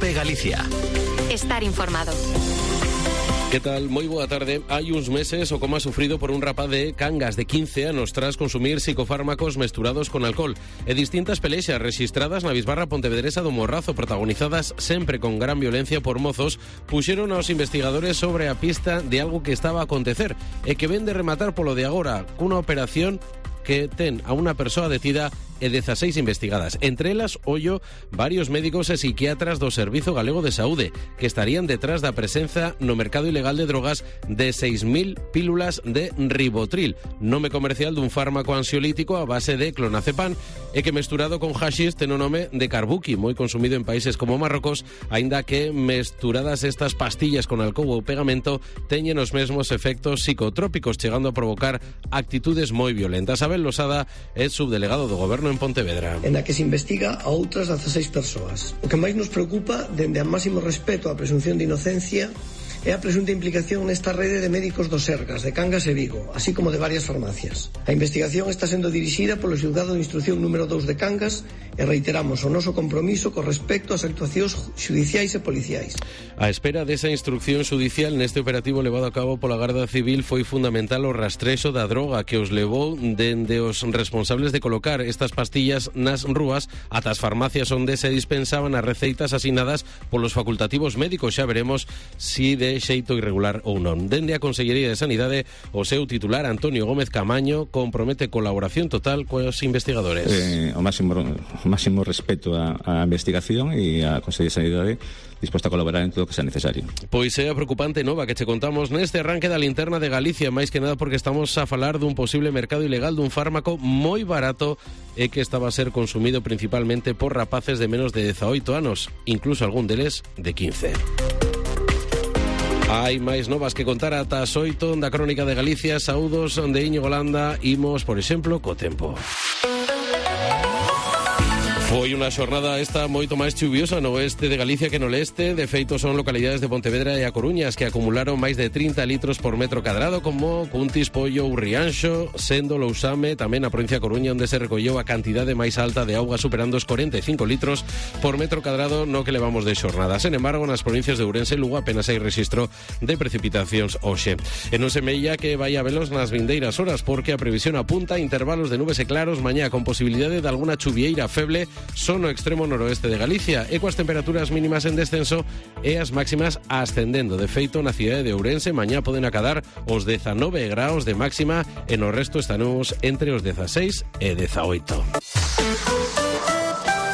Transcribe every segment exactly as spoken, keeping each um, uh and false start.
COPE Galicia. Estar informado. Que tal? Moi boa tarde. Hai uns meses o coma sufrido por un rapaz de Cangas de quince anos tras consumir psicofármacos mesturados con alcohol e distintas pelexas rexistradas na bisbarra pontevedresa do Morrazo, protagonizadas sempre con gran violencia por mozos, puxeron aos investigadores sobre a pista de algo que estaba a acontecer e que ven de rematar polo de agora cunha operación que ten a unha persoa detida e dezaseis investigadas. Entre elas, ollo, varios médicos e psiquiatras do Servizo Galego de Saúde, que estarían detrás da presenza no mercado ilegal de drogas de seis mil pílulas de ribotril, nome comercial dun fármaco ansiolítico a base de clonazepam e que mesturado con haxish ten o nome de carbuqui, moi consumido en países como Marrocos, aínda que mesturadas estas pastillas con alcohol ou pegamento teñen os mesmos efectos psicotrópicos, chegando a provocar actitudes moi violentas. Abel Losada é subdelegado do Goberno en Pontevedra. En a que se investiga a outras dezaseis persoas. O que máis nos preocupa, dende a máximo respeto á presunción de inocencia, é a presunta implicación nesta rede de médicos do Sergas, de Cangas e Vigo, así como de varias farmacias. A investigación está sendo dirixida polo xulgado de instrucción número dous de Cangas e reiteramos o noso compromiso con respecto ás actuacións xudiciais e policiais. A espera desa instrucción xudicial neste operativo levado a cabo pola Garda Civil foi fundamental o rastrexo da droga que os levou dende os responsables de colocar estas pastillas nas rúas ata as farmacias onde se dispensaban as receitas asinadas polos facultativos médicos. Xa veremos si de xeito irregular ou non. Dende a Consellería de Sanidade, o seu titular Antonio Gómez Camaño compromete colaboración total cos investigadores. Eh, o máximo o máximo respeto á, á investigación e a Consellería de Sanidade disposta a colaborar en todo o que sea necesario. Pois é a preocupante nova que che contamos neste arranque da linterna de Galicia, máis que nada porque estamos a falar dun posible mercado ilegal dun fármaco moi barato e que estaba a ser consumido principalmente por rapaces de menos de dezaoito anos, incluso algún deles de quince. Hai máis novas que contar ata as oito da Crónica de Galicia. Saúdos de Íñigo Landa. Imos, por exemplo, co tempo. Foi unha xornada esta moito máis chuviosa no oeste de Galicia que no leste. De feito, son localidades de Pontevedra e A Coruña as que acumularon máis de trinta litros por metro cadrado, como Cuntis, Pollo ou Rianxo, sendo Lousame tamén a provincia de Coruña onde se recolleu a cantidade máis alta de auga, superando os cuarenta e cinco litros por metro cadrado no que levamos de xornada. Sen embargo, nas provincias de Ourense e Lugo apenas hai rexistro de precipitacións hoxe. E non se mella que vai a velos nas vindeiras horas, porque a previsión apunta a intervalos de nubes e claros mañá con posibilidade de alguna chuvieira feble son no extremo noroeste de Galicia e coas temperaturas mínimas en descenso e as máximas ascendendo. De feito, na cidade de Ourense mañá poden acadar os dezanove graus de máxima e no resto estaremos entre os dezaseis e dezaoito.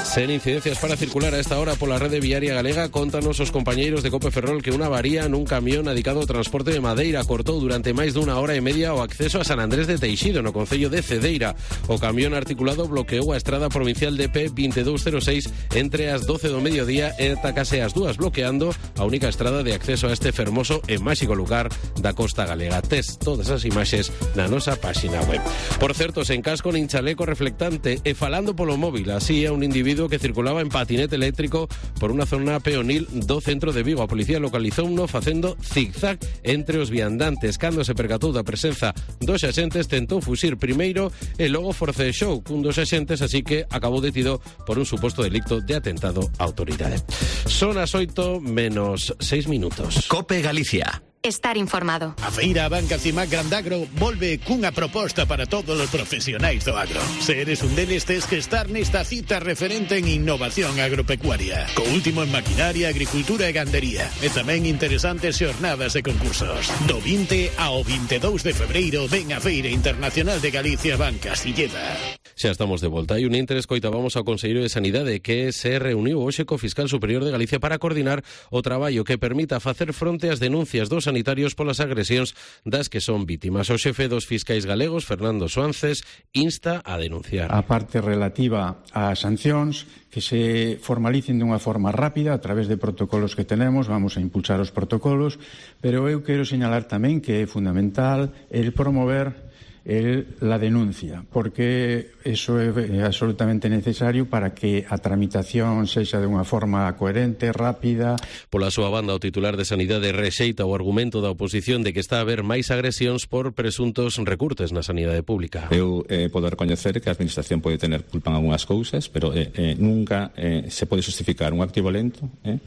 Sen incidencias para circular a esta hora pola rede viaria galega, contanos os compañeiros de Cope Ferrol que unha avaría nun camión adicado ao transporte de madeira cortou durante máis dunha hora e media o acceso a San Andrés de Teixido, no concello de Cedeira. O camión articulado bloqueou a estrada provincial de P veinte e dous cero seis entre as doce do mediodía e ata case as dúas, bloqueando a única estrada de acceso a este fermoso e máxico lugar da costa galega. Tes todas as imaxes na nosa páxina web. Por certo, sen casco nin chaleco reflectante e falando polo móvil, así a un individuo que circulaba en patinete eléctrico por unha zona peonil do centro de Vigo. A policía localizou uno facendo zigzag entre os viandantes. Cando se percatou da presenza dos axentes, tentou fuxir primeiro e logo forcexou cun dos axentes, así que acabou detido por un suposto delicto de atentado á autoridade. Son as oito menos seis minutos. COPE Galicia. Estar informado. A feira Banca Cimac Grandagro volve cunha proposta para todos os profesionais do agro. Se eres un deles, tes que estar nesta cita referente en innovación agropecuaria, co último en maquinaria, agricultura e gandería, e tamén interesantes xornadas e concursos. Do vinte ao vinte e dous de febreiro ven a Feira Internacional de Galicia Banca Silleda. Xa estamos de volta. Hai un intre, escoitábamos ao Conselleiro de Sanidade que se reuniu hoxe co Fiscal Superior de Galicia para coordinar o traballo que permita facer fronte ás denuncias dos sanitarios polas agresións das que son vítimas. O xefe dos fiscais galegos, Fernando Suances, insta a denunciar. A parte relativa ás sancións, que se formalicen dunha forma rápida a través de protocolos que tenemos, vamos a impulsar os protocolos, pero eu quero señalar tamén que é fundamental el promover él la denuncia, porque eso é absolutamente necesario para que a tramitación sexa de unha forma coherente, rápida. Pola súa banda, o titular de Sanidade rexeita o argumento da oposición de que está a haber máis agresións por presuntos recurtes na sanidade pública. Eu eh, podo recoñecer que a administración pode tener culpa en algunhas cousas, pero eh, eh, nunca eh, se pode justificar un acto violento eh,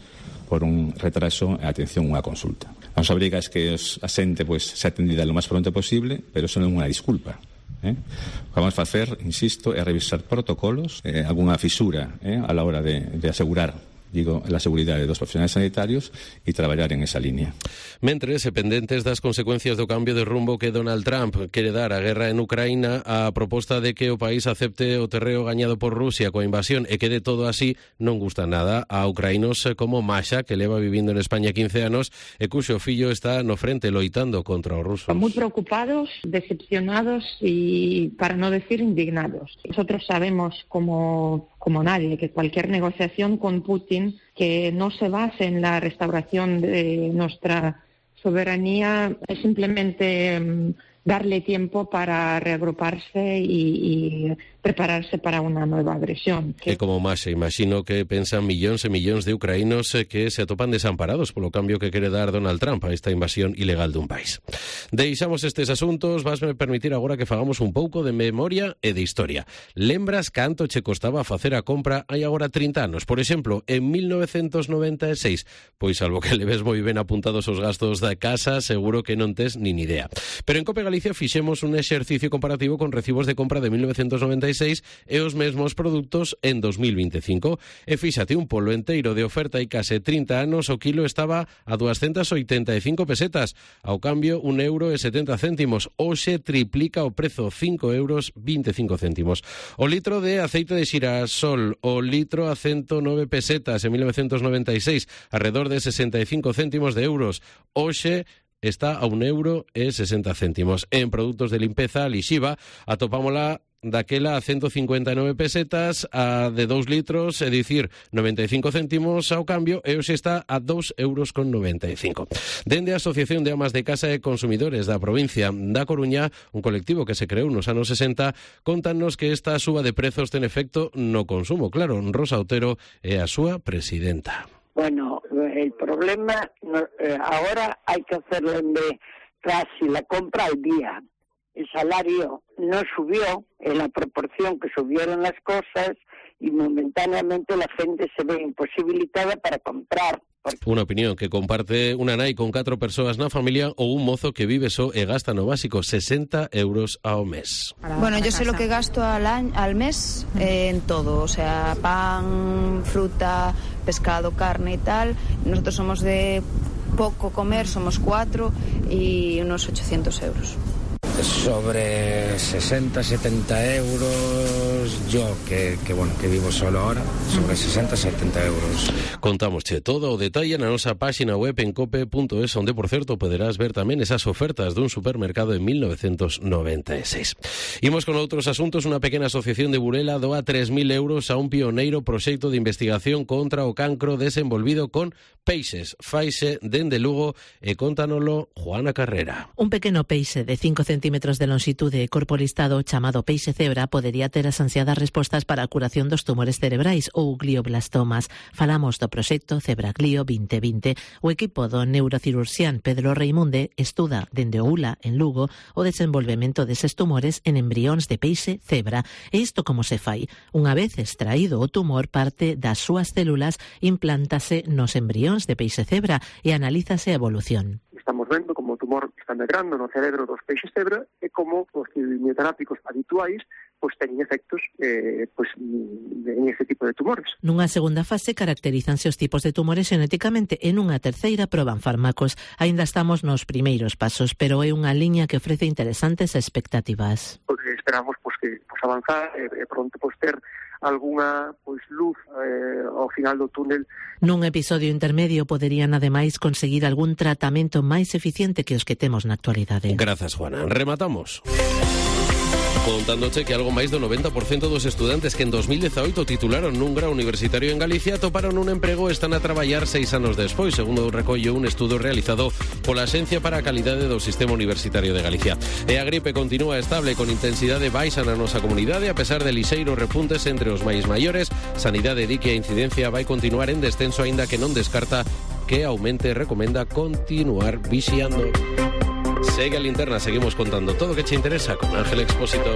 por un retraso en atención a unha consulta. A nosa obriga é que os, a xente pues, se atendida lo máis pronto posible, pero eso non é unha disculpa. Eh? O que vamos a facer, insisto, é revisar protocolos, eh, algunha fisura eh, a la hora de, de asegurar digo, la seguridade dos profesionais sanitarios e traballar en esa línea. Mentres, e pendentes das consecuencias do cambio de rumbo que Donald Trump quere dar á guerra en Ucraína, a proposta de que o país acepte o terreo gañado por Rusia coa invasión e quede todo así non gusta nada a ucraínos como Masha, que leva vivindo en España quince anos e cuxo fillo está no frente loitando contra os rusos. Muy preocupados, decepcionados y, para no decir, indignados. Nosotros sabemos como, como nadie que cualquier negociación con Putin que no se base en la restauración de nuestra soberanía es simplemente um, darle tiempo para reagruparse y, y prepararse para unha nova agresión. Que... E como máis, imagino que pensan millóns e millóns de ucraínos que se atopan desamparados polo cambio que quere dar Donald Trump a esta invasión ilegal dun país. Deixamos estes asuntos, vasme permitir agora que fagamos un pouco de memoria e de historia. Lembras canto che costaba facer a compra hai agora trinta anos? Por exemplo, en mil novecentos noventa e seis, pois salvo que le ves moi ben apuntados os gastos da casa, seguro que non tes nin idea. Pero en Cope Galicia fixemos un exercicio comparativo con recibos de compra de mil novecentos noventa e seis e os mesmos produtos en dos mil veinticinco. E fíxate, un polo enteiro de oferta hai case trinta anos, o kilo estaba a doscientas oitenta e cinco pesetas, ao cambio un euro e setenta céntimos. Hoxe triplica o prezo, cinco euros veinticinco céntimos. O litro de aceite de xirasol, o litro a ciento nove pesetas en mil novecentos noventa e seis, alrededor de sesenta e cinco céntimos de euros. Hoxe está a un euro e sesenta céntimos. En produtos de limpeza, a lixiva, atopámola daquela a ciento cincuenta e nove pesetas, a de dous litros, é dicir, noventa e cinco céntimos ao cambio, e hoxe está a dos euros con noventa e cinco. Dende a Asociación de Amas de Casa e Consumidores da provincia da Coruña, un colectivo que se creou nos anos sesenta, contanos que esta suba de prezos ten efecto no consumo. Claro, Rosa Otero é a súa presidenta. Bueno, el problema no, eh, ahora hay que hacerlo en de casi la compra al día. El salario no subió en la proporción que subieron las cosas y momentáneamente la gente se ve imposibilitada para comprar. Unha opinión que comparte unha nai con catro persoas na familia ou un mozo que vive só e gasta no básico sesenta euros ao mes. Bueno, yo sé lo que gasto al, año, al mes eh, en todo, o sea, pan, fruta, pescado, carne y tal. Nosotros somos de poco comer, somos cuatro y unos ochocientos euros. Sobre sesenta, setenta euros, yo que, que bueno, que vivo solo ahora, sobre sesenta, setenta euros. Contámosche todo o detalle na nosa páxina web en cope punto es, onde, por certo, poderás ver tamén esas ofertas dun supermercado en mil novecentos noventa e seis. Imos con outros asuntos. Unha pequena asociación de Burela doa tres mil euros a un pioneiro proxecto de investigación contra o cancro desenvolvido con peixes. Faixe dende Lugo e contanolo Juana Carrera. Un pequeno peixe de cinco centímetros de longitude e corpo listado chamado peixe cebra podería ter as ansiadas respostas para a curación dos tumores cerebrais ou glioblastomas. Falamos do proxecto Cebraglio vinte vinte. O equipo do neurocirurxián Pedro Reimunde estuda dende o U L A en Lugo o desenvolvemento deses tumores en embrións de peixe cebra. E isto como se fai? Unha vez extraído o tumor, parte das súas células implántase nos embrións de peixe cebra e analízase a evolución. Estamos vendo como o tumor está medrando no cerebro dos peixes cebra e como os quimioterápicos habituais pois teñen efectos eh, pois, en ese tipo de tumores. Nunha segunda fase caracterízanse os tipos de tumores xenéticamente e nunha terceira proban fármacos. Aínda estamos nos primeiros pasos, pero é unha liña que ofrece interesantes expectativas. Porque esperamos pois, que pois, avanzar e eh, pronto pois, ter algunha pois luz eh, ao final do túnel. Nun episodio intermedio poderían ademais conseguir algún tratamento máis eficiente que os que temos na actualidade. Grazas, Juana. Rematamos Contándoche que algo máis do noventa por cento dos estudantes que en dos mil dezaoito titularon nun grau universitario en Galicia toparon un emprego e están a traballar seis anos despois, segundo recollo un estudo realizado pola Axencia para a Calidade do Sistema Universitario de Galicia. E a gripe continúa estable con intensidade baixa na nosa comunidade, a pesar de lixeiros repuntes entre os máis maiores. Sanidade di que a incidencia vai continuar en descenso, aínda que non descarta que aumente e recomenda continuar vixiando. Segue a Linterna, seguimos contando todo o que che interesa con Ángel Expósito.